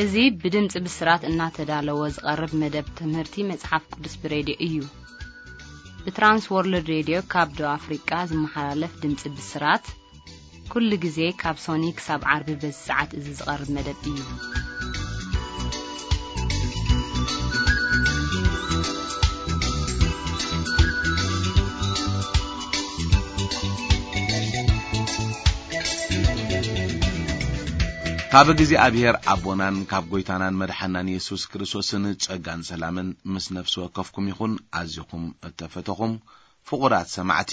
እዚ ብድምጺ ብስራት እናተዳለወ ዝቐርብ መደብ ትምህርቲ መጽሓፍ ቅዱስ ብሬድዮ እዩ። ብትራንስ ወርልድ ሬድዮ ካብ ደቡብ ኣፍሪቃ ዝመሓላለፍ ድምጺ ብስራት፣ ኩሉ ግዜ ካብ ሶኒ ክሳብ ዓርቢ በዚ ሰዓት እዚ ዝቐርብ መደብ እዩ። ካብ እግዚኣብሔር ኣቦናን ካብ ጐይታናን መድሓናን የሱስ ክርስቶስን ጸጋን ሰላምን ምስ ነፍሲ ወከፍኩም ይኹን። ኣዚኹም እተፈተኹም ፍቑራት ሰማዕቲ፣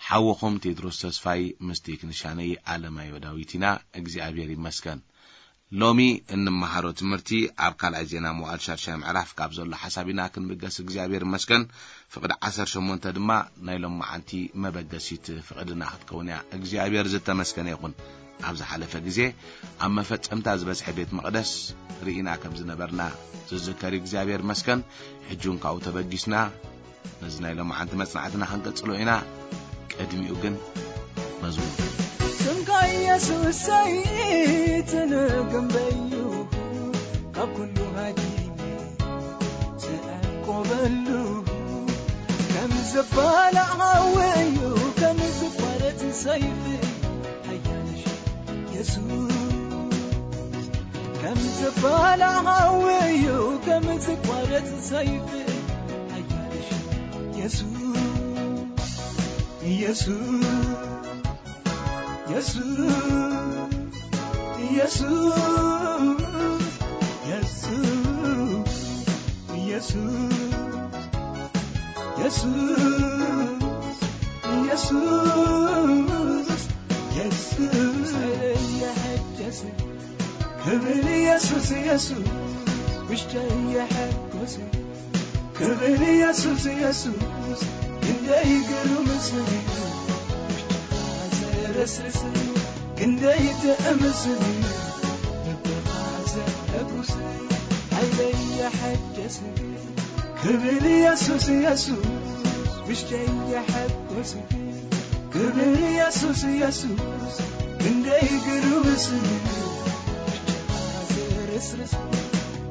ሓውኹም ቴድሮስ ተስፋይ ምስ ቴክኒሻነይ ኣለማዮ ዳዊት ኢና። እግዚኣብሔር ይመስገን። ሎሚ እንመሃሮ ትምህርቲ ኣብ ካልኣይ ዜና መዋዕል ሻድሻይ ምዕራፍ ካብ ዘሎ ሓሳብ ኢና ክንብገስ። እግዚኣብሔር ይመስገን። ፍቕዲ ዓሰርተ ሸሞንተ ድማ ናይ ሎም መዓልቲ መበገሲት ፍቕድና ክትከውን እያ። እግዚኣብሔር ዝተመስገነ ይኹን። ኣብ ዝሓለፈ ግዜ ኣብ መፈጸምታ ዝበጽሐ ቤት መቕደስ ርኢና ከም ዝነበርና ዝዝከር እዩ። እግዚኣብሔር ይመስገን። ሕጂ እውን ካብኡ ተበጊስና ነዚ ናይ ሎማዓንቲ መጽናዕትና ክንቀጽሎ ኢና። ቅድሚኡ ግን መዝሙር። ስምካ ኢየሱሰይ ትንግንበዩ ካብ ኩሉ ሃዲመ ዝዕቆበሉ ከም ዝባላዕ ሓዊ እዩ ከም ዝቋረጽ ሰይፊ ሓያልሽ የሱስ ከም ዝባላዕ ሓዊ እዩ ከም ዝቋረጽ ሰይፊ ሓያልሽ የሱስ የሱስ የሱስ የሱስ የሱስ የሱስ የሱስ የሱስ የሱስ ክብል የሱስ የሱስ ውሽጠይ የሐጎስ ክብል የሱስ የሱስ ክንደይ ግሩም ስም እዩ። ውሽጥኻ ዘረስርስ ክንደይ ጥዕም ስም እዩ። ልብኻ ዘሐጉስ ሓይለይ የሐደስ ክብል የሱስ የሱስ ውሽጠይ የሐጎስ ክብል የሱስ የሱስ ክንደይ ግሩም ስም እዩ። ውሽጥኻ ዘረስርስ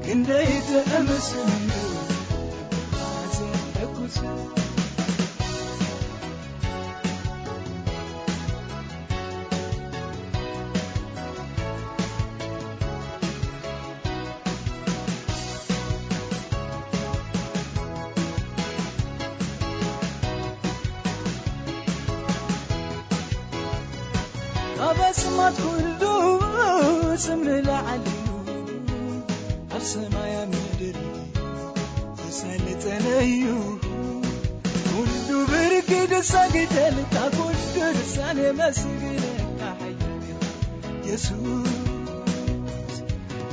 ክንደይ ጥዕም ስም እዩ። ልብኻ ዘሐጉስ ካብ ኣስማት ኩሉ ስም ንላዕሊ እዩ። ኣብ ሰማይ ኣብ ምድሪ ዝሰልጠነ እዩ። ኩሉ ብርኪ ድሰግደልካ፣ ኩሉ ልሳን የመስግነካ ሓያል ኢኻ የሱስ።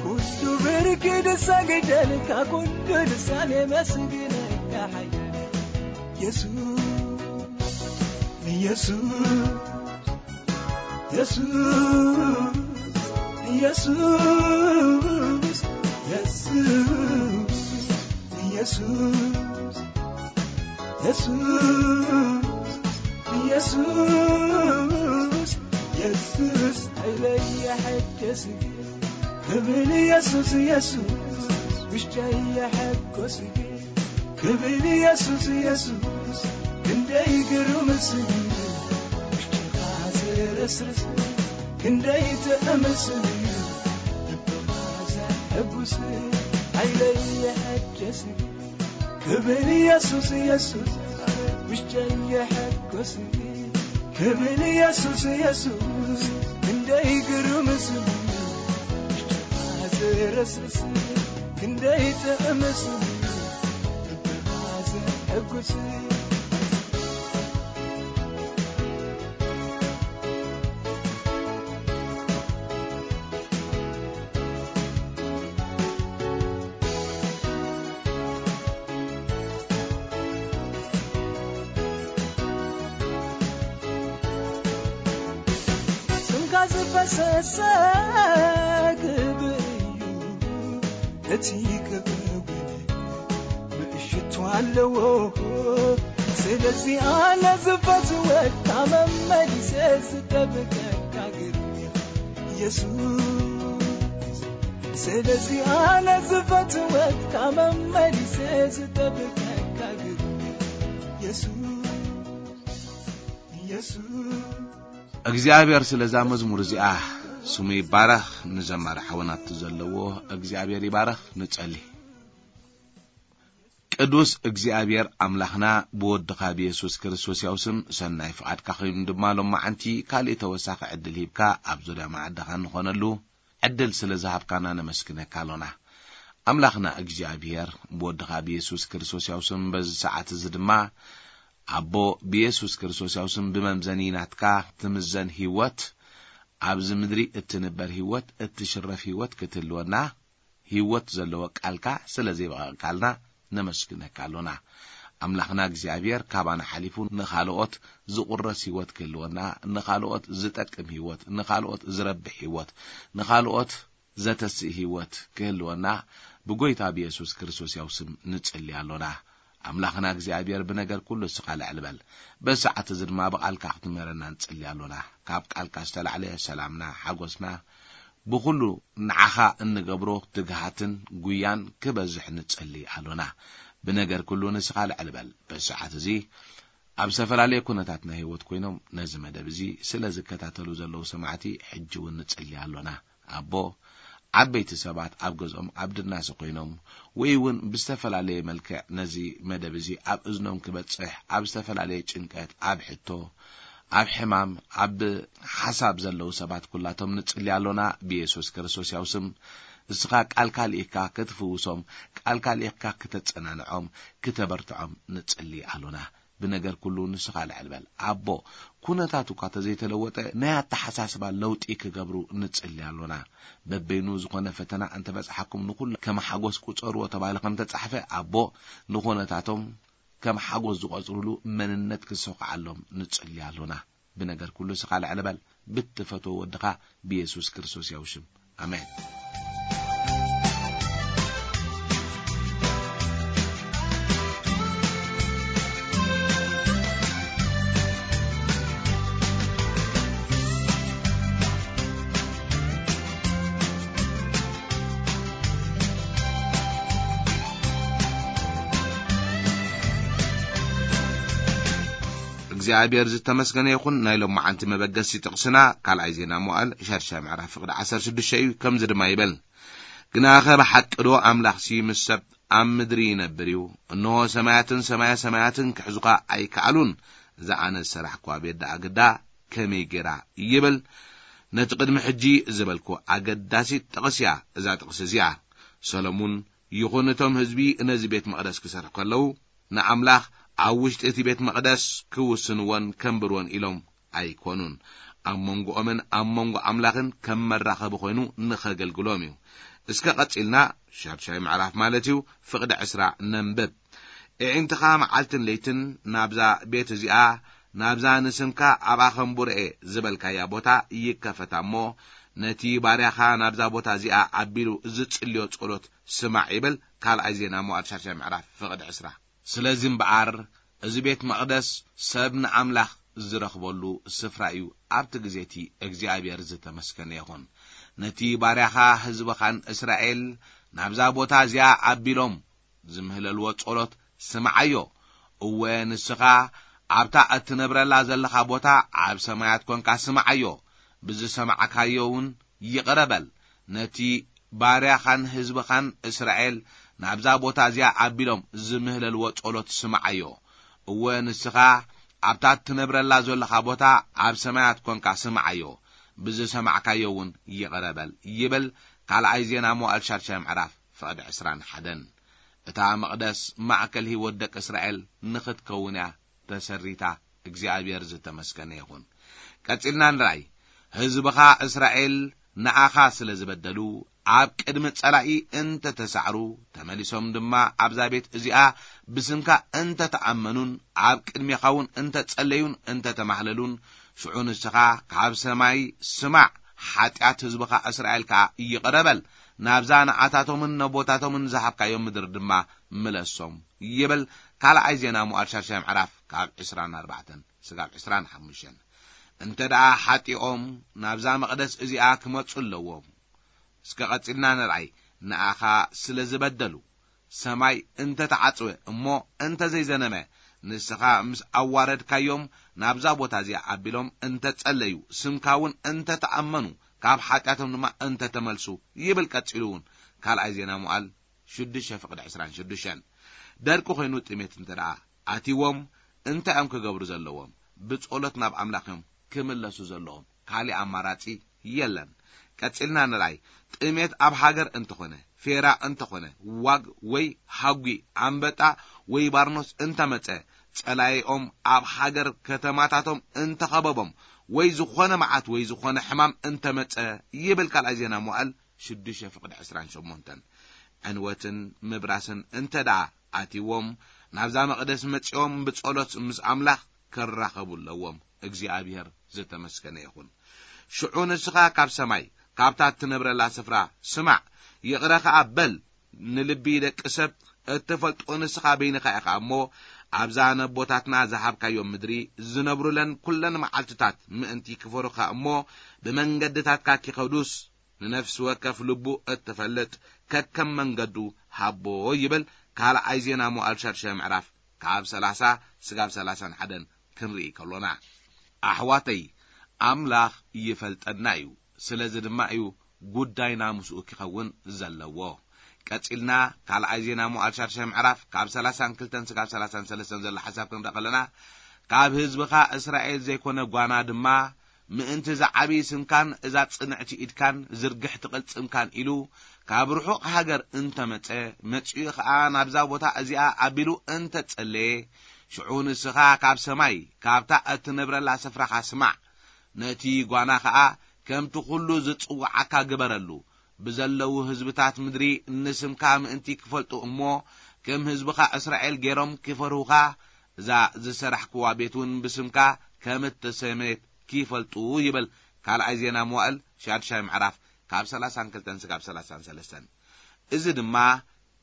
ኩሉ ብርኪ ድሰግደልካ፣ ኩሉ ልሳን የመስግነካ ሓያል ኢኻ የሱስ። የሱስ የሱስ የሱስ የሱስ የሱስ የሱስ የሱስ የሱስ ኃይለይ የሐደስክ ክብል የሱስ የሱስ ውሽጠይ የሐጎስክ ክብል የሱስ የሱስ ክንደይ ግሩም ስም እዩ። ውሽጥኻ ዘረስርስ ክንደይ ጥዕም ስም እዩ። ልብኻ ዘሐጉስ ኃይለይ የሐደስ ክብል የሱስ የሱስ ውሽጠይ የሐጎስ ክብል የሱስ የሱስ ክንደይ ግሩም ስም እዩ። ውሽጥኻ ዘረስርስ ክንደይ ጥዕም ስም እዩ። ልብኻ ዘሐጉስ ስምካ ዝፈሰሰ ክብሪ እዩ። እቲ ክብሪ እውን ምእሽቱ ኣለዎ። ስለዚ ኣነ ዝፈትወካ መመሊሰ ዝጠብቀካ ግርም ኢኻ የሱስ። ስለዚ ኣነ ዝፈትወካ መመሊሰ ዝጠብቀካ ግን የሱስ፣ የሱስ። እግዚኣብሔር ስለዛ መዝሙር እዚኣ ስሙ ይባረኽ። ንዘማሪ ሓወናቱ ዘለዎ እግዚኣብሔር ይባረኽ። ንጸሊ። ቅዱስ እግዚኣብሔር ኣምላኽና፣ ብወድኻ ብየሱስ ክርስቶስ ያው ስም ሰናይ ፍቓድካ ኮይኑ ድማ ሎማዓንቲ ካልእ ተወሳኺ ዕድል ሂብካ ኣብ ዙርያ መዓድኻ ንኾነሉ ዕድል ስለ ዝሃብካና ነመስግነካ ኣሎና። ኣምላኽና እግዚኣብሔር፣ ብወድኻ ብየሱስ ክርስቶስ ያው ስም በዚ ሰዓት እዚ ድማ ኣቦ፣ ብየሱስ ክርስቶስ ያው ስም ብመምዘኒ ናትካ ትምዘን ህይወት፣ ኣብዚ ምድሪ እትንበር ህይወት፣ እትሽረፍ ህይወት ክትህልወና፣ ህይወት ዘለዎ ቃልካ ስለ ዘይበቐቕካልና ነመስግነካ ኣሎና። ኣምላኽና እግዚኣብሔር፣ ካባና ሓሊፉ ንኻልኦት ዝቑረስ ህይወት ክህልወና፣ ንኻልኦት ዝጠቅም ህይወት፣ ንኻልኦት ዝረብሕ ህይወት፣ ንኻልኦት ዘተስእ ህይወት ክህልወና ብጎይታ ብየሱስ ክርስቶስ ያው ስም ንጽሊ ኣሎና። ኣምላኽና እግዚኣብሔር፣ ብነገር ኩሉ እስኻ ልዕል በል። በዚ ሰዓት እዚ ድማ ብቓልካ ክትምህረና ንጽሊ ኣሎና። ካብ ቃልካ ዝተላዕለ ሰላምና፣ ሓጎስና፣ ብኹሉ ንዓኻ እንገብሮ ትግሃትን ጉያን ክበዝሕ ንጸሊ ኣሎና። ብነገር ኩሉ ንስኻ ልዕል በል። በዚ ሰዓት እዚ ኣብ ዝተፈላለየ ኩነታት ናይ ህይወት ኮይኖም ነዚ መደብ እዚ ስለ ዝከታተሉ ዘለዉ ሰማዕቲ ሕጂ እውን ንጽሊ ኣሎና። ኣቦ፣ ዓበይቲ ሰባት ኣብ ገዝኦም ኣብ ድናሰ ኮይኖም ወይ እውን ብዝተፈላለየ መልክዕ ነዚ መደብ እዚ ኣብ እዝኖም ክበጽሕ ኣብ ዝተፈላለየ ጭንቀት፣ ኣብ ሕቶ፣ ኣብ ሕማም፣ ኣብ ሓሳብ ዘለዉ ሰባት ኩላቶም ንጽሊ ኣሎና። ብየሱስ ክርስቶስ ያው ስም እስኻ ቃልካ ልኢኽካ ክትፍውሶም፣ ቃልካ ልኢኽካ ክተጸናንዖም፣ ክተበርትዖም ንጽሊ ኣሎና። ብነገር ኩሉ ንስኻ ልዕል በል። ኣቦ፣ ኩነታት እኳ ተዘይተለወጠ ናይ ኣተሓሳስባ ለውጢ ክገብሩ ንጽሊ ኣሎና። በበይኑ ዝኾነ ፈተና እንተበጽሓኩም ንኹሉ ከም ሓጎስ ቁጸርዎ ተባሂሉ ከም ተጻሕፈ፣ ኣቦ፣ ንኹነታቶም ከም ሓጎስ ዝቆጽሩሉ መንነት ክሰኹዓሎም ንጽሊ ኣሎና። ብነገር ኩሉ ስኻ ልዕል በል። ብትፈትዎ ወድኻ ብየሱስ ክርስቶስ ያው ሽም። ኣሜን። እግዚኣብሔር ዝተመስገነ ይኹን። ናይ ሎማዓንቲ መበገሲ ጥቕስና ካልኣይ ዜና መዋዕል ሻድሻይ ምዕራፍ ፍቕዲ ዓሰርተ ሽዱሽተ እዩ። ከምዚ ድማ ይብል፣ ግናኸ ብሓቂ ዶ ኣምላኽሲ ምስ ሰብ ኣብ ምድሪ ይነብር እዩ? እንሆ ሰማያትን ሰማያ ሰማያትን ክሕዙኻ ኣይከኣሉን። እዛ ኣነ ዝሰራሕኩዋ ቤት ደኣ ግዳ ከመይ ጌራ ይብል። ነቲ ቅድሚ ሕጂ ዝበልኩ ኣገዳሲት ጥቕስ እያ እዛ ጥቕሲ እዚኣ። ሰሎሙን ይኹን እቶም ህዝቢ ነዚ ቤት መቕደስ ክሰርሑ ከለዉ ንኣምላኽ ኣብ ውሽጢ እቲ ቤት መቕደስ ክውስንዎን ከንብርዎን ኢሎም ኣይኮኑን። ኣብ መንጎኦምን ኣብ መንጎ ኣምላኽን ከም መራኸቢ ኮይኑ ንኸገልግሎም እዩ። እስከ ቀጺልና ሻድሻይ ምዕራፍ ማለት እዩ ፍቕዲ ዕስራ ነንብብ። እዒንትኻ መዓልትን ለይትን ናብዛ ቤት እዚኣ፣ ናብዛ ንስምካ ኣብኣ ኸንቡርኤ ዝበልካያ ቦታ ይከፈታ እሞ፣ ነቲ ባርያኻ ናብዛ ቦታ እዚኣ ኣቢሉ ዝጽልዮ ጸሎት ስማዕ ይብል። ካልኣይ ዜና መዋዕል ሻድሻይ ምዕራፍ ፍቕዲ ዕስራ። ስለዚ እምበኣር፣ እዚ ቤት መቕደስ ሰብ ንኣምላኽ ዝረኽበሉ ስፍራ እዩ። ኣብቲ ግዜ እቲ እግዚኣብሔር ዝተመስገነ ይኹን። ነቲ ባርያኻ ህዝብኻን እስራኤል ናብዛ ቦታ እዚኣ ኣቢሎም ዝምህለልዎ ጸሎት ስምዓዮ። እወ፣ ንስኻ ኣብታ እትነብረላ ዘለኻ ቦታ ኣብ ሰማያት ኰንካ ስምዓዮ። ብዝሰማዕካዮ እውን ይቕረ በል። ነቲ ባርያኻን ህዝብኻን እስራኤል ናብዛ ቦታ እዚኣ ኣቢሎም ዝምህለልዎ ጸሎት ስምዓዮ። እወ፣ ንስኻ ኣብታ እትነብረላ ዘለኻ ቦታ ኣብ ሰማያት ኰንካ ስምዓዮ። ብዝሰማዕካዮ እውን ይቕረ በል ይብል። ካልኣይ ዜና መዋዕል ሻድሻይ ምዕራፍ ፍቕዲ ዕስራን ሓደን። እታ መቕደስ ማእከል ህይወት ደቂ እስራኤል ንኽትከውን እያ ተሰሪታ። እግዚኣብሔር ዝተመስገነ ይኹን። ቀጺልና ንርኣይ። ህዝብኻ እስራኤል ንኣኻ ስለ ዝበደሉ፣ ኣብ ቅድሚ ጸላኢ እንተ ተሳዕሩ፣ ተመሊሶም ድማ ኣብዛ ቤት እዚኣ ብስምካ እንተ ተኣመኑን፣ ኣብ ቅድሜኻ እውን እንተ ጸለዩን እንተ ተማህለሉን፣ ሽዑ ንስኻ ካብ ሰማይ ስማዕ፣ ሓጢኣት ህዝብኻ እስራኤል ከኣ ይቕረ በል፣ ናብዛ ንኣታቶምን ነቦታቶምን ዝሃብካዮም ምድሪ ድማ ምለሶም ይብል። ካልኣይ ዜና መዋዕል ሻድሻይ ምዕራፍ ካብ ዕስራን ኣርባዕተን ስጋብ ዕስራን ሓሙሽተን። እንተ ደኣ ሓጢኦም ናብዛ መቕደስ እዚኣ ክመጹ ኣለዎም። እስከ ቀጺልና ንርኣይ። ንኣኻ ስለ ዝበደሉ ሰማይ እንተ ተዓጽወ እሞ እንተ ዘይዘነመ፣ ንስኻ ምስ ኣዋረድካዮም ናብዛ ቦታ እዚኣ ኣቢሎም እንተ ጸለዩ፣ ስምካ እውን እንተ ተኣመኑ፣ ካብ ሓጢኣቶም ድማ እንተ ተመልሱ፣ ይብል ቀጺሉ እውን ካልኣይ ዜና መዋዕል ሽዱሽተ ፍቕዲ ዕስራን ሽዱሽተን። ደርቂ ኮይኑ ጥሜት እንተ ደኣ ኣትይዎም እንታይ እዮም ክገብሩ ዘለዎም? ብጸሎት ናብ ኣምላኽ እዮም ክምለሱ ዘለዎም። ካልእ ኣማራጺ የለን። ቀጺልና ንርኣይ። ጥሜት ኣብ ሃገር እንተኾነ፣ ፌራ እንተኾነ፣ ዋግ ወይ ሃጒ፣ ኣንበጣ ወይ ባርኖስ እንተመጸ፣ ጸላኢኦም ኣብ ሃገር ከተማታቶም እንተኸበቦም፣ ወይ ዝኾነ መዓት ወይ ዝኾነ ሕማም እንተመጸ፣ ይብል ካልኣይ ዜና መዋዕል ሽዱሽተ ፍቕዲ ዕስራን ሸሞንተን። ዕንወትን ምብራስን እንተ ደኣ ኣትይዎም፣ ናብዛ መቕደስ መጺኦም ብጸሎት ምስ ኣምላኽ ክራኸቡ ኣለዎም። እግዚኣብሔር ዝተመስገነ ይኹን። ሽዑ ንስኻ ካብ ሰማይ፣ ካብታ እትነብረላ ስፍራ ስማዕ፣ ይቕረ ኸኣ በል። ንልቢ ደቂ ሰብ እትፈልጦ ንስኻ በይንኻ ኢኻ እሞ፣ ኣብዛ ነቦታትና ዝሃብካዮም ምድሪ ዝነብሩለን ኩለን መዓልትታት ምእንቲ ክፈሩኻ እሞ፣ ብመንገድታትካ ኪኸዱስ፣ ንነፍሲ ወከፍ ልቡ እትፈልጥ ከከም መንገዱ ሃቦ፣ ይብል ካልኣይ ዜና መዋዕል ሻድሻይ ምዕራፍ ካብ ሰላሳ ስጋብ ሰላሳን ሓደን ክንርኢ ከሎና። ኣሕዋተይ፣ ኣምላኽ ይፈልጠና እዩ። ስለዚ ድማ እዩ ጉዳይና ምስኡ ኪኸውን ዘለዎ። ቀጺልና ካልኣይ ዜና መዋዕል ሻድሻይ ምዕራፍ ካብ ሰላሳን ክልተን ስጋብ ሰላሳን ሰለስተን ዘሎ ሓሳብ ክንርኢ ከለና፣ ካብ ህዝብኻ እስራኤል ዘይኮነ ጓና ድማ ምእንቲ ዝዓቢ ስምካን እዛ ጽንዕቲ ኢድካን ዝርግሕቲ ቅልጽምካን ኢሉ ካብ ርሑቕ ሃገር እንተመጸ፣ መጺኡ ኸኣ ናብዛ ቦታ እዚኣ ኣቢሉ እንተጸለየ፣ ሽዑ ንስኻ ካብ ሰማይ፣ ካብታ እትነብረላ ስፍራኻ ስማዕ። ነቲ ጓና ኸኣ ከምቲ ኹሉ ዝጽውዓካ ግበረሉ። ብዘለዉ ህዝብታት ምድሪ ንስምካ ምእንቲ ክፈልጡ እሞ፣ ከም ህዝብኻ እስራኤል ገይሮም ክፈርሁኻ፣ እዛ ዝሰራሕክዋ ቤት እውን ብስምካ ከም እተሰመየት ኪፈልጡ ይብል ካልኣይ ዜና መዋእል ሻድሻይ ምዕራፍ ካብ ሰላሳን ክልተን ስጋብ ሰላሳን ሰለስተን። እዚ ድማ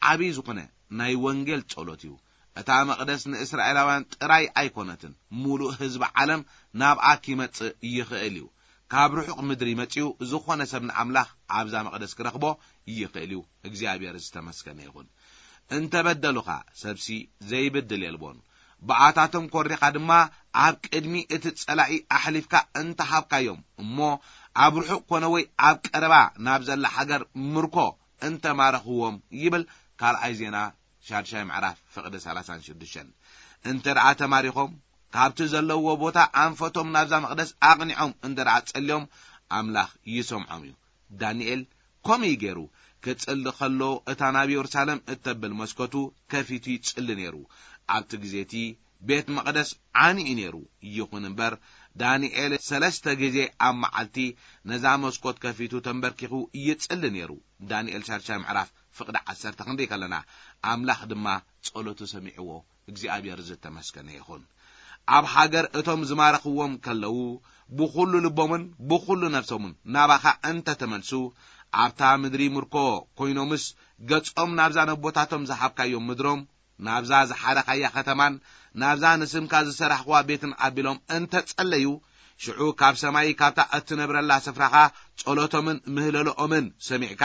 ዓብዪ ዝኾነ ናይ ወንጌል ጸሎት እዩ። እታ መቕደስ ንእስራኤላውያን ጥራይ ኣይኮነትን፣ ሙሉእ ህዝቢ ዓለም ናብኣ ኪመጽእ ይኽእል እዩ። ካብ ርሑቕ ምድሪ መጺኡ ዝኾነ ሰብ ንኣምላኽ ኣብዛ መቕደስ ክረኽቦ ይኽእል እዩ። እግዚኣብሔር ዝተመስገነ ይኹን። እንተ በደሉኻ፣ ሰብሲ ዘይብድል የልቦን። ብኣታቶም ኮሪኻ ድማ ኣብ ቅድሚ እቲ ጸላኢ ኣሕሊፍካ እንተ ሃብካዮም፣ እሞ ኣብ ርሑቕ ኮነ ወይ ኣብ ቀረባ ናብ ዘላ ሃገር ምርኮ እንተ ማረኽዎም፣ ይብል ካልኣይ ዜና ሻድሻይ ምዕራፍ ፍቕዲ ሰላሳን ሽዱሽተን። እንተ ደኣ ተማሪኾም፣ ካብቲ ዘለውዎ ቦታ ኣንፈቶም ናብዛ መቕደስ ኣቕኒዖም እንተ ደኣ ጸልዮም፣ ኣምላኽ ይሰምዖም እዩ። ዳንኤል ከምኡ እዩ ገይሩ። ክጽሊ ከሎ፣ እታ ናብ የሩሳሌም እተብል መስኮቱ ከፊቱ ይጽሊ ነይሩ። ኣብቲ ግዜ እቲ ቤት መቕደስ ዓንዩ ነይሩ። ይኹን እምበር፣ ዳንኤል ሰለስተ ግዜ ኣብ መዓልቲ ነዛ መስኮት ከፊቱ ተንበርኪኹ ይጽሊ ነይሩ። ዳንኤል ሻድሻይ ምዕራፍ ፍቕዲ ዓሰርተ ክንርኢ ከለና፣ ኣምላኽ ድማ ጸሎቱ ሰሚዕዎ። እግዚኣብሔር ዝተመስገነ ይኹን። ኣብ ሃገር እቶም ዝማረኽዎም ከለዉ፣ ብኹሉ ልቦምን ብኹሉ ነፍሶምን ናባኻ እንተ ተመልሱ፣ ኣብታ ምድሪ ምርኮ ኮይኖምስ፣ ገጾም ናብዛ ነቦታቶም ዝሃብካዮም ምድሮም፣ ናብዛ ዝሓረኻያ ኸተማን ናብዛ ንስምካ ዝሰራሕኽዋ ቤትን ኣቢሎም እንተ ጸለዩ፣ ሽዑ ካብ ሰማይ፣ ካብታ እትነብረላ ስፍራኻ፣ ጸሎቶምን ምህለልኦምን ሰሚዕካ፣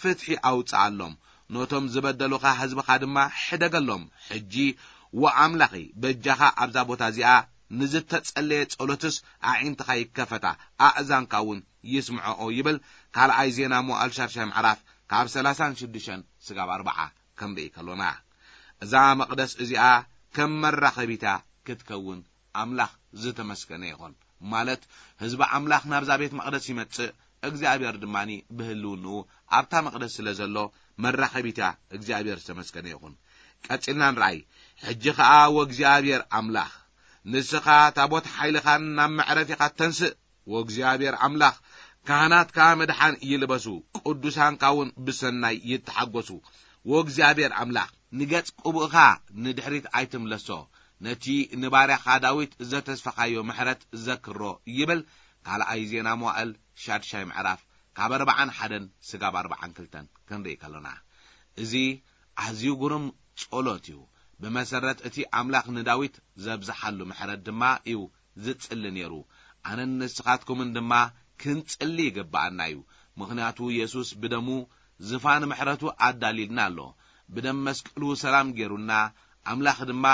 ፍትሒ ኣውጽኣሎም። ነቶም ዝበደሉኻ ህዝብኻ ድማ ሕደገሎም። ሕጂ፣ ወኣምላኸይ፣ በጃኻ ኣብዛ ቦታ እዚኣ ንዝተጸለየ ጸሎትስ ኣዒንትኻ ይከፈታ፣ ኣእዛንካ እውን ይስምዖኦ፣ ይብል ካልኣይ ዜና መዋእል ሻድሻይ ምዕራፍ ካብ ሰላሳን ሽዱሽተን ስጋብ ኣርብዓ ክንርኢ ከሎና። እዛ መቕደስ እዚኣ ከም መራኸቢታ ክትከውን ኣምላኽ ዝተመስገነ ይኹን። ማለት፣ ህዝቢ ኣምላኽ ናብዛ ቤት መቕደስ ይመጽእ፣ እግዚኣብሔር ድማ ብህልውንኡ ኣብታ መቕደስ ስለ ዘሎ መራኸቢታ እግዚኣብሔር ዝተመስገነ ይኹን። ቀጺልና ንርኣይ። ሕጂ ኸኣ ወእግዚኣብሔር ኣምላኽ፣ ንስኻ ታቦት ሓይልኻን ናብ መዕረፊኻ ተንስእ። ወእግዚኣብሔር ኣምላኽ፣ ካህናትካ ምድሓን ይልበሱ፣ ቅዱሳንካ እውን ብሰናይ ይተሓጎሱ። ወእግዚኣብሔር ኣምላኽ፣ ንገጽ ቅቡእኻ ንድሕሪት ኣይትምለሶ። ነቲ ንባርያኻ ዳዊት ዘተስፈኻዮ ምሕረት ዘክሮ፣ ይብል ካልኣይ ዜና መዋእል ሻድሻይ ምዕራፍ ካብ ኣርብዓን ሓደን ስጋብ ኣርብዓን ክልተን ክንርኢ ከሎና። እዚ ኣዝዩ ግሩም ጸሎት እዩ። ብመሰረት እቲ ኣምላኽ ንዳዊት ዘብዝሓሉ ምሕረት ድማ እዩ ዝጽሊ ነይሩ። ኣነን ንስኻትኩምን ድማ ክንጽሊ ይግብኣና እዩ። ምኽንያቱ የሱስ ብደሙ ዝፋን ምሕረቱ ኣዳልዩልና ኣሎ። ብደም መስቀሉ ሰላም ገይሩልና፣ ኣምላኽ ድማ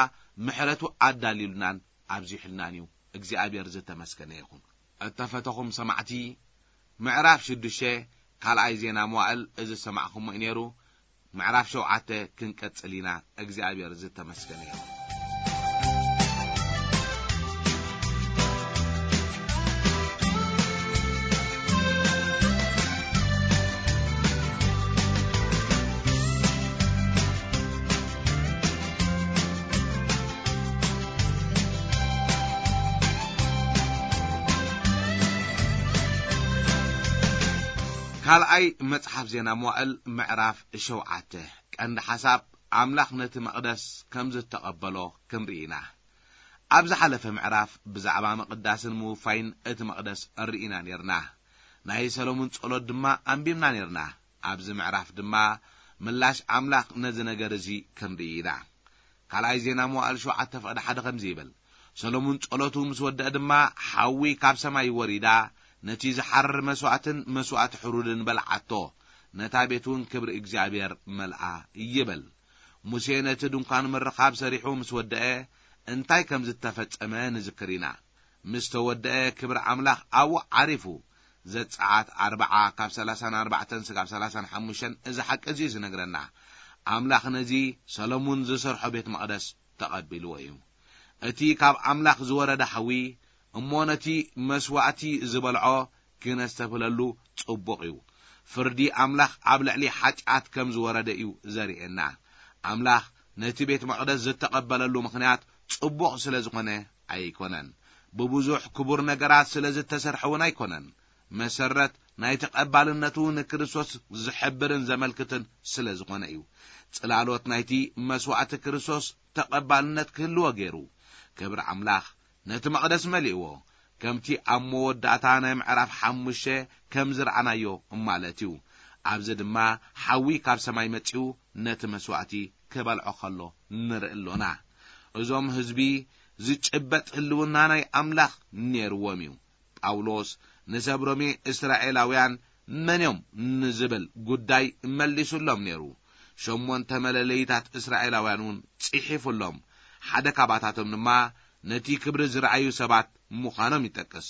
ምሕረቱ ኣዳልዩልናን ኣብዚሑልናን እዩ። እግዚኣብሔር ዝተመስገነ ይኹን። እተፈተኹም ሰማዕቲ፣ ምዕራፍ ሽዱሽተ ካልኣይ ዜና መዋእል እዚ ዝሰማዕኹሞ እዩ ነይሩ። ምዕራፍ ሸውዓተ ክንቀጽል ኢና። እግዚኣብሔር ዝተመስገነ ይኹን። ካልኣይ መጽሓፍ ዜና መዋእል ምዕራፍ ሸውዓተ። ቀንዲ ሓሳብ፣ ኣምላኽ ነቲ መቕደስ ከም ዝተቐበሎ ክንርኢ ኢና። ኣብ ዝሓለፈ ምዕራፍ ብዛዕባ ምቕዳስን ምውፋይን እቲ መቕደስ ርኢና ኔርና። ናይ ሰሎሞን ጸሎት ድማ ኣንቢብና ኔርና። ኣብዚ ምዕራፍ ድማ ምላሽ ኣምላኽ ነዚ ነገር እዚ ክንርኢ ኢና። ካልኣይ ዜና መዋእል ሸውዓተ ፍቕዲ ሓደ ከምዚ ይብል፣ ሰሎሞን ጸሎቱ ምስ ወደአ ድማ፣ ሓዊ ካብ ሰማይ ወሪዳ፣ ነቲ ዝሓርር መስዋእትን መስዋእቲ ሕሩድን በልዓቶ፣ ነታ ቤት እውን ክብሪ እግዚኣብሔር መልኣ ይብል። ሙሴ ነቲ ድንኳን ምርኻብ ሰሪሑ ምስ ወደአ፣ እንታይ ከም ዝተፈጸመ ንዝክር ኢና። ምስ ተወደአ፣ ክብሪ ኣምላኽ ኣብኡ ዓሪፉ። ዘጸኣት ኣርብዓ ካብ ሰላሳን ኣርባዕተን ስጋብ ሰላሳን ሓሙሽተን እዚ ሓቂ እዚ እዩ ዝነግረና። ኣምላኽ ነዚ ሰሎሞን ዝሰርሖ ቤት መቕደስ ተቐቢልዎ እዩ። እቲ ካብ ኣምላኽ ዝወረደ ሓዊ እሞ ነቲ መስዋእቲ ዝበልዖ ክነስተብህለሉ ጽቡቕ እዩ። ፍርዲ ኣምላኽ ኣብ ልዕሊ ሓጢኣት ከም ዝወረደ እዩ ዘርእየና። ኣምላኽ ነቲ ቤት መቕደስ ዝተቐበለሉ ምኽንያት ጽቡቕ ስለ ዝኾነ ኣይኮነን። ብብዙሕ ክቡር ነገራት ስለ ዝተሰርሐ እውን ኣይኮነን። መሰረት ናይ ተቐባልነቱ ንክርስቶስ ዝሕብርን ዘመልክትን ስለ ዝኾነ እዩ። ጽላሎት ናይቲ መስዋእቲ ክርስቶስ ተቐባልነት ክህልዎ ገይሩ። ክብሪ ኣምላኽ ነቲ መቕደስ መሊእዎ፣ ከምቲ ኣብ መወዳእታ ናይ ምዕራፍ ሓሙሽተ ከም ዝረኣናዮ ማለት እዩ። ኣብዚ ድማ ሓዊ ካብ ሰማይ መጺኡ ነቲ መስዋእቲ ክበልዖ ከሎ ንርኢ ኣሎና። እዞም ህዝቢ ዝጭበጥ ህልውና ናይ ኣምላኽ ነይርዎም እዩ። ጳውሎስ ንሰብ ሮሜ እስራኤላውያን መን እዮም ንዝብል ጉዳይ መሊሱሎም ነይሩ። ሸሞንተ መለለይታት እስራኤላውያን እውን ጽሒፉሎም። ሓደ ካባታቶም ድማ ነቲ ክብሪ ዝረኣዩ ሰባት ምዃኖም ይጠቅስ።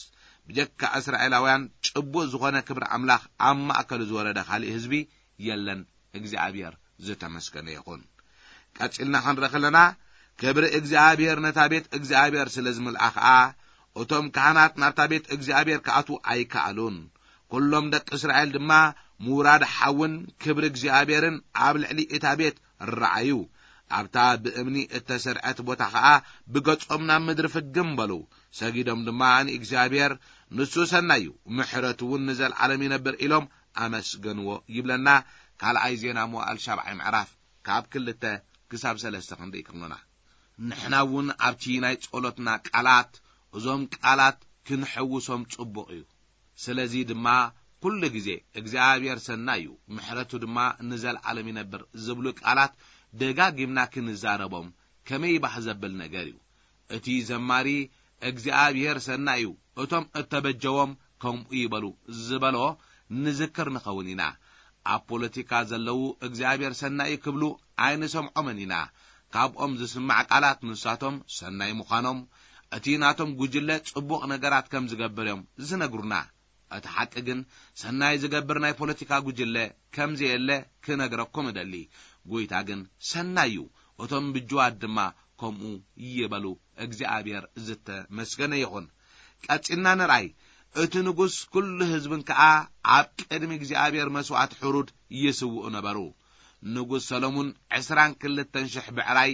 ብጀካ እስራኤላውያን ጭቡእ ዝኾነ ክብሪ ኣምላኽ ኣብ ማእከሉ ዝወረደ ካልእ ህዝቢ የለን። እግዚኣብሔር ዝተመስገነ ይኹን። ቀጺልና ክንርኢ ከለና፣ ክብሪ እግዚኣብሔር ነታ ቤት እግዚኣብሔር ስለ ዝምልኣ ኸኣ፣ እቶም ካህናት ናብታ ቤት እግዚኣብሔር ክኣትዉ ኣይከኣሉን። ኩሎም ደቂ እስራኤል ድማ ምውራድ ሓውን ክብሪ እግዚኣብሔርን ኣብ ልዕሊ እታ ቤት ረኣዩ። ኣብታ ብእምኒ እተሰርዐት ቦታ ኸኣ ብገጾም ናብ ምድሪ ፍግም በሉ። ሰጊዶም ድማ ንእግዚኣብሔር፣ ንሱ ሰናይ እዩ፣ ምሕረቱ እውን ንዘለዓለም ይነብር ኢሎም ኣመስገንዎ ይብለና። ካልኣይ ዜና መዋእል ሻብዓይ ምዕራፍ ካብ ክልተ ክሳብ ሰለስተ ክንርኢ ከሎና፣ ንሕና እውን ኣብቲ ናይ ጸሎትና ቃላት እዞም ቃላት ክንሕውሶም ጽቡቕ እዩ። ስለዚ ድማ ኩሉ ግዜ እግዚኣብሔር ሰናይ እዩ፣ ምሕረቱ ድማ ንዘለዓለም ይነብር ዝብሉ ቃላት ደጋጊምና ክንዛረቦም ከመይ ባህ ዘብል ነገር እዩ። እቲ ዘማሪ እግዚኣብሔር ሰናይ እዩ፣ እቶም እተበጀዎም ከምኡ ይበሉ ዝበሎ ንዝክር ንኸውን ኢና። ኣብ ፖለቲካ ዘለዉ እግዚኣብሔር ሰናይ እዩ ክብሉ ኣይንሰምዖምን ኢና። ካብኦም ዝስማዕ ቃላት ንሳቶም ሰናይ ምዃኖም፣ እቲ ናቶም ጉጅለ ጽቡቕ ነገራት ከም ዝገብር እዮም ዝነግሩና። እቲ ሓቂ ግን ሰናይ ዝገብር ናይ ፖለቲካ ጉጅለ ከም ዘየለ ክነግረኩም እደሊ። ጎይታ ግን ሰናይ እዩ፣ እቶም ብጅዋት ድማ ከምኡ ይበሉ። እግዚኣብሔር ዝተመስገነ ይኹን። ቀጺልና ንርኣይ። እቲ ንጉስ ኩሉ ህዝብን ከኣ ኣብ ቅድሚ እግዚኣብሔር መስዋእቲ ሕሩድ ይስውኡ ነበሩ። ንጉስ ሰሎሙን ዕስራን ክልተን ሽሕ ብዕራይ፣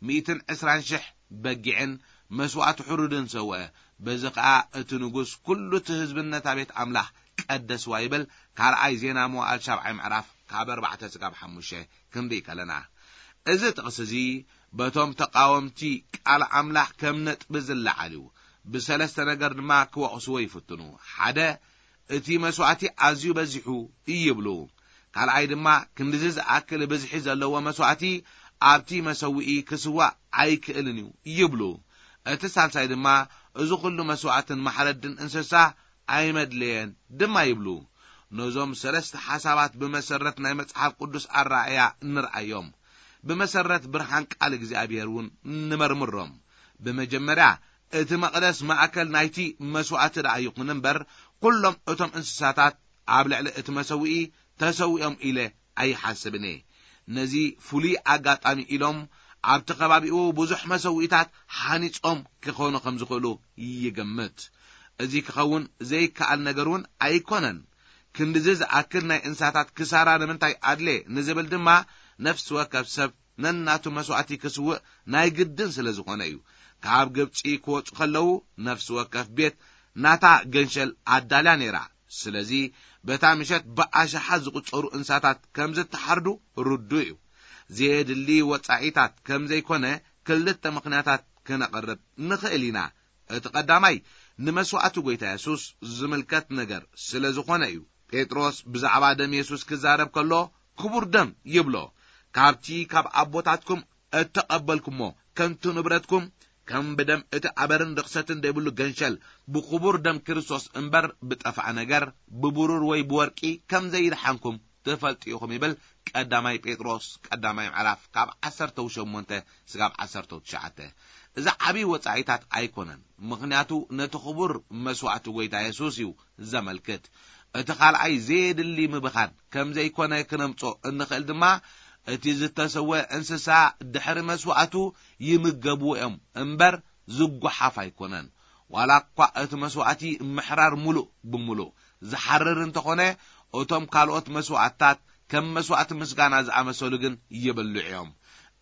ሚእትን ዕስራን ሽሕ በጊዕን መስዋእቲ ሕሩድን ሰውአ። በዚ ኸኣ እቲ ንጉስ ኩሉ እቲ ህዝብን ነታ ቤት ኣምላኽ ቀደስዋ ይብል። ካልኣይ ዜና መዋእል ሻብዓይ ምዕራፍ ካብ ኣርባዕተ ስጋብ ሓሙሽተ ክንርኢ ከለና፣ እዚ ጥቕሲ እዚ በቶም ተቓወምቲ ቃል ኣምላኽ ከም ነጥቢ ዝለዓል እዩ። ብሰለስተ ነገር ድማ ክወቕስዎ ይፍትኑ። ሓደ፣ እቲ መስዋእቲ ኣዝዩ በዚሑ ይብሉ። ካልኣይ ድማ፣ ክንድዚ ዝኣክል ብዝሒ ዘለዎ መስዋእቲ ኣብቲ መሰውኢ ክስዋእ ኣይክእልን እዩ ይብሉ። እቲ ሳልሳይ ድማ፣ እዚ ኹሉ መስዋእትን ማሕረድን እንስሳ ኣይመድለየን ድማ ይብሉ። ነዞም ሰለስተ ሓሳባት ብመሰረት ናይ መጽሓፍ ቅዱስ ኣረኣእያ ንርኣዮም። ብመሰረት ብርሃን ቃል እግዚኣብሔር እውን ንመርምሮም። ብመጀመርያ፣ እቲ መቕደስ ማእከል ናይቲ መስዋእቲ ደኣ ይኹን እምበር፣ ኩሎም እቶም እንስሳታት ኣብ ልዕሊ እቲ መሰውኢ ተሰዊኦም ኢለ ኣይሓስብን እየ። ነዚ ፍሉይ ኣጋጣሚ ኢሎም ኣብቲ ከባቢኡ ብዙሕ መሰውኢታት ሃኒጾም ክኾኑ ከም ዝኽእሉ ይግምት። እዚ ክኸውን ዘይከኣል ነገር እውን ኣይኮነን። ክንድዚ ዝኣክል ናይ እንስሳታት ክሳራ ንምንታይ ኣድለ ንዝብል ድማ፣ ነፍሲ ወከፍ ሰብ ነናቱ መስዋእቲ ክስውእ ናይ ግድን ስለ ዝኾነ እዩ። ካብ ግብጺ ክወጹ ከለዉ፣ ነፍሲ ወከፍ ቤት ናታ ገንሸል ኣዳልያ ነይራ። ስለዚ፣ በታ ምሸት ብኣሽሓት ዝቑጸሩ እንስሳታት ከም ዝተሓርዱ ርዱእ እዩ። ዘየድሊ ወጻኢታት ከም ዘይኮነ ክልተ ምኽንያታት ክነቕርብ ንኽእል ኢና። እቲ ቀዳማይ፣ ንመስዋእቲ ጐይታ የሱስ ዝምልከት ነገር ስለ ዝኾነ እዩ። ጴጥሮስ ብዛዕባ ደም የሱስ ክዛረብ ከሎ፣ ክቡር ደም ይብሎ። ካብቲ ካብ ኣቦታትኩም እተቐበልኩሞ ከንቱ ንብረትኩም፣ ከም ብደም እቲ ኣበርን ርኽሰትን ዘይብሉ ገንሸል፣ ብክቡር ደም ክርስቶስ እምበር ብጠፍኣ ነገር፣ ብብሩር ወይ ብወርቂ ከም ዘይድሓንኩም ትፈልጡ ኢኹም ይብል። ቀዳማይ ጴጥሮስ ቀዳማይ ምዕራፍ ካብ ዓሰርተ ሸሞንተ ስጋብ ዓሰርተ ትሽዓተ። እዚ ዓብዪ ወጻኢታት ኣይኮነን፣ ምኽንያቱ ነቲ ክቡር መስዋእቲ ጐይታ የሱስ እዩ ዘመልክት። እቲ ካልኣይ ዘየድሊ ምብኻን ከም ዘይኮነ ክነምጾ እንኽእል ድማ፣ እቲ ዝተሰወ እንስሳ ድሕሪ መስዋእቱ ይምገብዎ እዮም እምበር ዝጓሓፍ ኣይኮነን። ዋላ እኳ እቲ መስዋእቲ ምሕራር ምሉእ ብምሉእ ዝሓርር እንተኾነ፣ እቶም ካልኦት መስዋእትታት ከም መስዋእቲ ምስጋና ዝኣመሰሉ ግን ይብልዑ እዮም።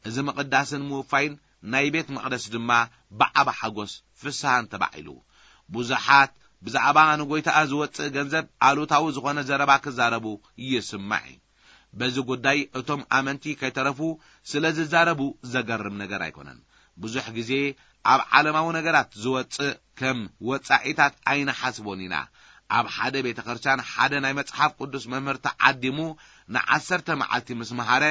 እዚ ምቕዳስን ምውፋይን ናይ ቤት መቕደስ ድማ ብዓቢ ሓጎስ ፍስሃን ተባዒሉ። ብዙሓት ብዛዕባ ንጎይታኣ ዝወጽእ ገንዘብ ኣሉታዊ ዝኾነ ዘረባ ክዛረቡ ይስማዕ እዩ። በዚ ጉዳይ እቶም ኣመንቲ ከይተረፉ ስለ ዝዛረቡ ዘገርም ነገር ኣይኮነን። ብዙሕ ግዜ ኣብ ዓለማዊ ነገራት ዝወጽእ ከም ወጻኢታት ኣይንሓስቦን ኢና። ኣብ ሓደ ቤተ ክርስቲያን ሓደ ናይ መጽሓፍ ቅዱስ መምህር ተዓዲሙ ንዓሰርተ መዓልቲ ምስ መሃረ፣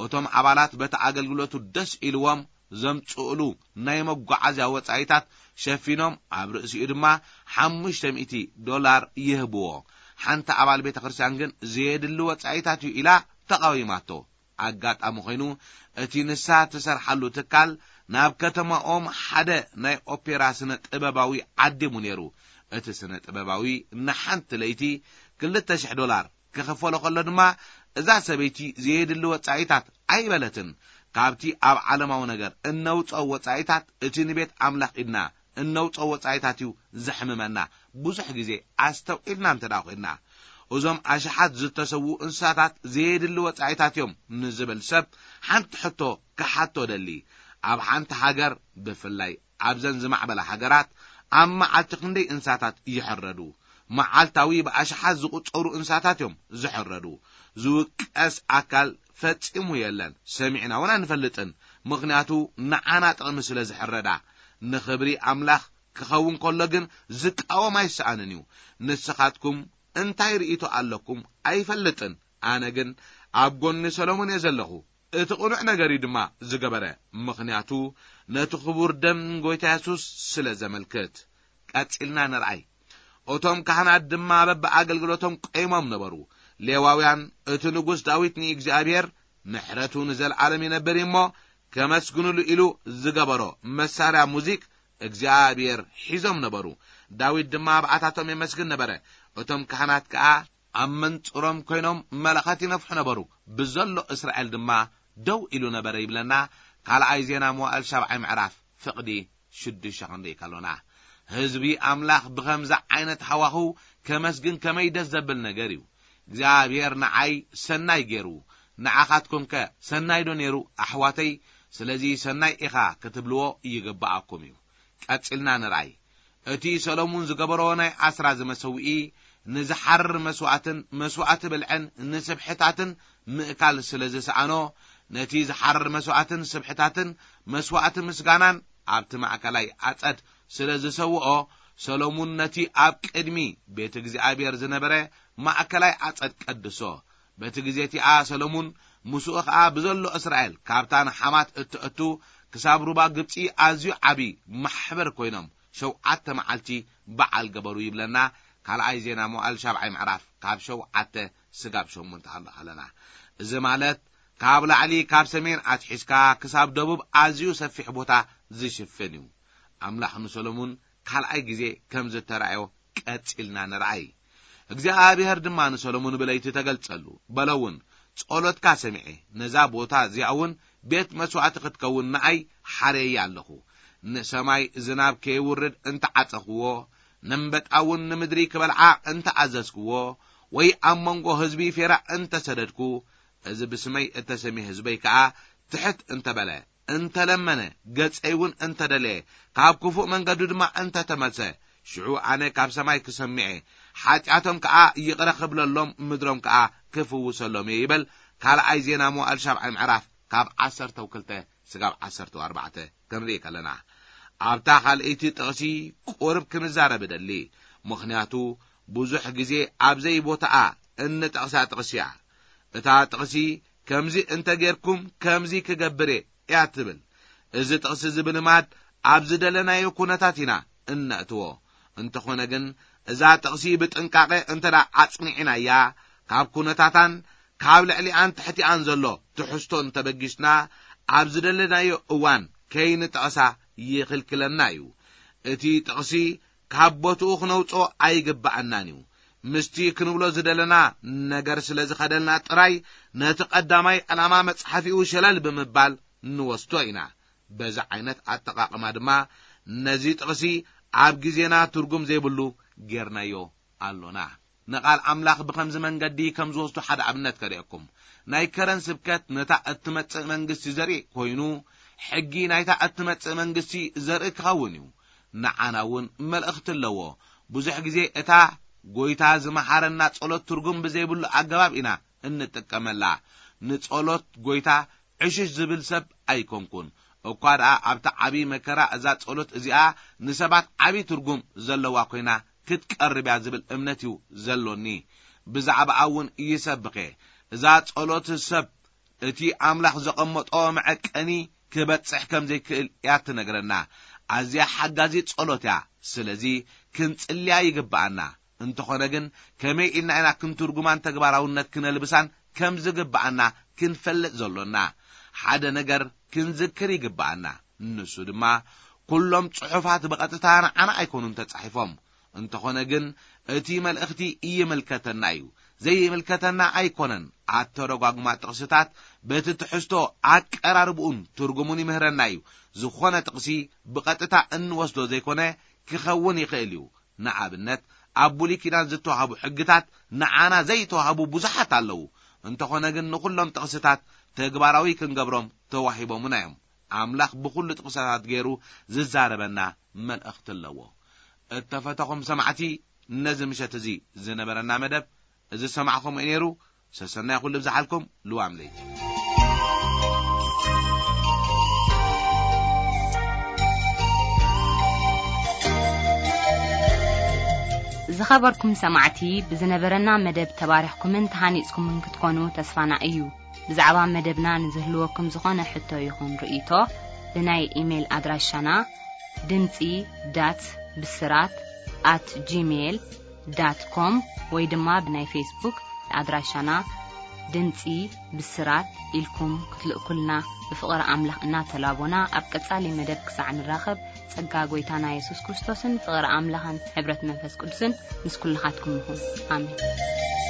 እቶም ኣባላት በቲ ኣገልግሎቱ ደስ ኢልዎም ዘምጽእሉ ናይ መጓዓዝያ ወጻኢታት ሸፊኖም፣ ኣብ ርእሲኡ ድማ ሓሙሽተ ሚእቲ ዶላር ይህብዎ። ሓንቲ ኣባል ቤተ ክርስቲያን ግን ዘየድሊ ወጻኢታት እዩ ኢላ ተቓዊማቶ። ኣጋጣሚ ኮይኑ፣ እቲ ንሳ ትሰርሓሉ ትካል ናብ ከተማኦም ሓደ ናይ ኦፔራ ስነ ጥበባዊ ዓዲሙ ነይሩ። እቲ ስነ ጥበባዊ ንሓንቲ ለይቲ ክልተ ሽሕ ዶላር ክኽፈሎ ከሎ ድማ፣ እዛ ሰበይቲ ዘየድሊ ወጻኢታት ኣይበለትን። ካብቲ ኣብ ዓለማዊ ነገር እነውጽኦ ወጻኢታት፣ እቲ ንቤት ኣምላኽ ኢልና እነውጽኦ ወጻኢታት እዩ ዘሕምመና። ብዙሕ ግዜ ኣስተውዒልና እንተ ደኣ ኮይንና፣ እዞም ኣሽሓት ዝተሰዉ እንስሳታት ዘየድሊ ወጻኢታት እዮም ንዝብል ሰብ ሓንቲ ሕቶ ክሓቶ ደሊ። ኣብ ሓንቲ ሃገር፣ ብፍላይ ኣብዘን ዝማዕበላ ሃገራት፣ ኣብ መዓልቲ ክንደይ እንስሳታት ይሕረዱ? መዓልታዊ ብኣሽሓት ዝቑጸሩ እንስሳታት እዮም ዝሕረዱ። ዝውቀስ ኣካል ፈጺሙ የለን፣ ሰሚዕና እውን ኣይንፈልጥን። ምኽንያቱ ንዓና ጥቕሚ ስለ ዝሕረዳ። ንኽብሪ ኣምላኽ ክኸውን ከሎ ግን ዝቃወም ኣይሰኣንን እዩ። ንስኻትኩም እንታይ ርእይቶ ኣለኩም ኣይፈልጥን። ኣነ ግን ኣብ ጎኒ ሰሎሞን እየ ዘለኹ። እቲ ቅኑዕ ነገር እዩ ድማ ዝገበረ፣ ምኽንያቱ ነቲ ክቡር ደም ጎይታ የሱስ ስለ ዘመልክት። ቀጺልና ንርኣይ። እቶም ካህናት ድማ በብኣገልግሎቶም ቆይሞም ነበሩ። ሌዋውያን፣ እቲ ንጉስ ዳዊት ንእግዚኣብሔር፣ ምሕረቱ ንዘለኣለም ይነብር እዩ እሞ፣ ከመስግኑሉ ኢሉ ዝገበሮ መሳርያ ሙዚክ እግዚኣብሔር ሒዞም ነበሩ። ዳዊት ድማ ኣብኣታቶም የመስግን ነበረ። እቶም ካህናት ከኣ ኣብ መንጽሮም ኮይኖም መለኸት ይነፍሑ ነበሩ። ብዘሎ እስራኤል ድማ ደው ኢሉ ነበረ ይብለና። ካልኣይ ዜና መዋእል ሻብዓይ ምዕራፍ ፍቕዲ ሽዱሽተ ክንርኢ ከሎና፣ ህዝቢ ኣምላኽ ብኸምዚ ዓይነት ሃዋህው ከመስግን ከመይ ደስ ዘብል ነገር እዩ። እግዚኣብሔር ንዓይ ሰናይ ገይሩ፣ ንዓኻትኩምከ ሰናይ ዶ ነይሩ ኣሕዋተይ? ስለዚ ሰናይ ኢኻ ክትብልዎ ይግብኣኩም እዩ። ቀጺልና ንርኣይ። እቲ ሰሎሙን ዝገበሮ ናይ ኣስራዚ መሰውኢ፣ ንዝሓርር መስዋእትን መስዋእቲ ብልዕን ንስብሕታትን ምእካል ስለ ዝሰኣኖ፣ ነቲ ዝሓርር መስዋእትን ስብሕታትን መስዋእቲ ምስጋናን ኣብቲ ማእከላይ ኣጸድ ስለ ዝሰውኦ፣ ሰሎሙን ነቲ ኣብ ቅድሚ ቤት እግዚኣብሔር ዝነበረ ማእከላይ ኣጸድ ቀድሶ። በቲ ግዜ እቲኣ ሰሎሙን ምስኡ ኸኣ ብዘሎ እስራኤል፣ ካብታ ንሓማት እትእቱ ክሳብ ሩባ ግብጺ ኣዝዩ ዓቢ ማሕበር ኮይኖም፣ ሸውዓተ መዓልቲ በዓል ገበሩ ይብለና ካልኣይ ዜና መዋዕል ሻብዓይ ምዕራፍ ካብ ሸውዓተ ስጋብ ሸሞንተ ክንርኢ ከለና፣ እዚ ማለት ካብ ላዕሊ ካብ ሰሜን ኣትሒዝካ ክሳብ ደቡብ ኣዝዩ ሰፊሕ ቦታ ዝሽፍን እዩ። ኣምላኽ ንሰሎሙን ካልኣይ ግዜ ከም ዝተራእዮ ቀጺልና ንርኣይ። እግዚኣብሔር ድማ ንሰሎሙን ብለይቲ ተገልጸሉ፣ በሎ እውን፣ ጸሎትካ ሰሚዐ፣ ነዛ ቦታ እዚኣ እውን ቤት መስዋእቲ ክትከውን ንኣይ ሓረየ ኣለኹ። ንሰማይ ዝናብ ከይውርድ እንተዓጸኽዎ፣ ነንበጣ እውን ንምድሪ ክበልዓ እንተኣዘዝክዎ፣ ወይ ኣብ መንጎ ህዝቢ ፌራ እንተሰደድኩ፣ እዚ ብስመይ እተሰምየ ህዝበይ ከኣ ትሕት እንተበለ፣ እንተለመነ፣ ገጸይ እውን እንተደለየ፣ ካብ ክፉእ መንገዱ ድማ እንተተመልሰ፣ ሽዑ ኣነ ካብ ሰማይ ክሰምዔ፣ ሓጢኣቶም ከኣ ይቕረ ክብለሎም፣ ምድሮም ከኣ ክፍውሰሎም እየ ይበል። ካልኣይ ዜና መዋዕል ሻብዓይ ምዕራፍ ካብ ዓሰርተ ክልተ ስጋብ ዓሰርተ ኣርባዕተ ክንርኢ ከለና፣ ኣብታ ካልኣይቲ ጥቕሲ ቁርብ ክንዛረብ እደሊ። ምኽንያቱ ብዙሕ ግዜ ኣብ ዘይቦታኣ እንጠቕሳ ጥቕሲ እያ። እታ ጥቕሲ ከምዚ እንተ ጌርኩም ከምዚ ክገብር እየ እያ ትብል። እዚ ጥቕሲ እዚ ብልማድ ኣብ ዝደለናዮ ኩነታት ኢና እነእትዎ። እንተኾነ ግን እዛ ጥቕሲ ብጥንቃቐ እንተ ደኣ ኣጽኒዕናያ፣ ካብ ኩነታታን ካብ ልዕሊኣን ትሕቲኣን ዘሎ ትሕዝቶ እንተበጊስና፣ ኣብ ዝደለናዮ እዋን ከይንጠቕሳ ይኽልክለና እዩ። እቲ ጥቕሲ ካብ ቦትኡ ክነውጽኦ ኣይግብኣናን እዩ። ምስቲ ክንብሎ ዝደለና ነገር ስለ ዝኸደልና ጥራይ፣ ነቲ ቀዳማይ ዕላማ መጽሓፊኡ ሸለል ብምባል ንወስዶ ኢና። በዚ ዓይነት ኣጠቓቕማ ድማ ነዚ ጥቕሲ ኣብ ግዜና ትርጉም ዘይብሉ ጌርናዮ ኣሎና። ንቓል ኣምላኽ ብኸምዚ መንገዲ ከም ዝወስዶ ሓደ ኣብነት ከርእየኩም። ናይ ከረን ስብከት ነታ እትመጽእ መንግስቲ ዘርኢ ኮይኑ፣ ሕጊ ናይታ እትመጽእ መንግስቲ ዘርኢ ክኸውን እዩ። ንዓና እውን መልእኽቲ ኣለዎ። ብዙሕ ግዜ እታ ጎይታ ዝመሓረና ጸሎት ትርጉም ብዘይብሉ ኣገባብ ኢና እንጥቀመላ። ንጸሎት ጎይታ ዕሽሽ ዝብል ሰብ ኣይኮንኩን። እኳ ደኣ ኣብቲ ዓቢ መከራ እዛ ጸሎት እዚኣ ንሰባት ዓቢ ትርጉም ዘለዋ ኮይና ክትቀርብ እያ ዝብል እምነት እዩ ዘሎኒ። ብዛዕባኣ እውን ይሰብኽ እየ። እዛ ጸሎት ሰብ እቲ ኣምላኽ ዘቐመጦ መዐቀኒ ክበጽሕ ከም ዘይክእል እያ ትነግረና። ኣዝያ ሓጋዚት ጸሎት እያ። ስለዚ ክንጽልያ ይግብኣና። እንተኾነ ግን ከመይ ኢልና ኢና ክንትርጉማን ተግባራውነት ክነልብሳን ከም ዝግብኣና ክንፈልጥ ዘሎና? ሓደ ነገር ክንዝክር ይግብኣና። ንሱ ድማ ኩሎም ጽሑፋት ብቐጥታ ንዓና ኣይኮኑን ተጻሒፎም። እንተኾነ ግን እቲ መልእኽቲ ይምልከተና እዩ። ዘይምልከተና ኣይኮነን። ኣተረጓጉማ ጥቕስታት በቲ ትሕዝቶ ኣቀራርብኡን ትርጉሙን ይምህረና እዩ። ዝኾነ ጥቕሲ ብቐጥታ እንወስዶ ዘይኮነ ክኸውን ይኽእል እዩ። ንኣብነት ኣብ ብሉይ ኪዳን ዝተዋህቡ ሕግታት ንዓና ዘይተዋህቡ ብዙሓት ኣለዉ። እንተኾነ ግን ንኹሎም ጥቕስታት ተግባራዊ ክንገብሮም ተዋሂቦምና እዮም። ኣምላኽ ብኹሉ ጥቕስታት ገይሩ ዝዛረበና መልእኽቲ ኣለዎ። እተፈተኹም ሰማዕቲ፣ ነዚ ምሸት እዚ ዝነበረና መደብ እዚ ዝሰማዕኹም እዩ ነይሩ። ሰሰናይ ኩሉ ብዝሓልኩም ልዋም ለይቲ። ዝኸበርኩም ሰማዕቲ፣ ብዝነበረና መደብ ተባሪኽኩምን ተሃኒጽኩምን ክትኮኑ ተስፋና እዩ። ብዛዕባ መደብና ንዝህልወኩም ዝኾነ ሕቶ ይኹን ርእይቶ፣ ብናይ ኢሜይል ኣድራሻና ድምጺ ዳት ብስራት ኣት ጂሜይል ዳት ኮም ወይ ድማ ብናይ ፌስቡክ ኣድራሻና ድምጺ ብስራት ኢልኩም ክትልእኩልና ብፍቕሪ ኣምላኽ እናተላቦና፣ ኣብ ቀጻሊ መደብ ክሳዕ ንራኸብ፣ ጸጋ ጐይታና የሱስ ክርስቶስን ፍቕሪ ኣምላኽን ሕብረት መንፈስ ቅዱስን ምስ ኩልኻትኩም ይኹን። ኣሜን።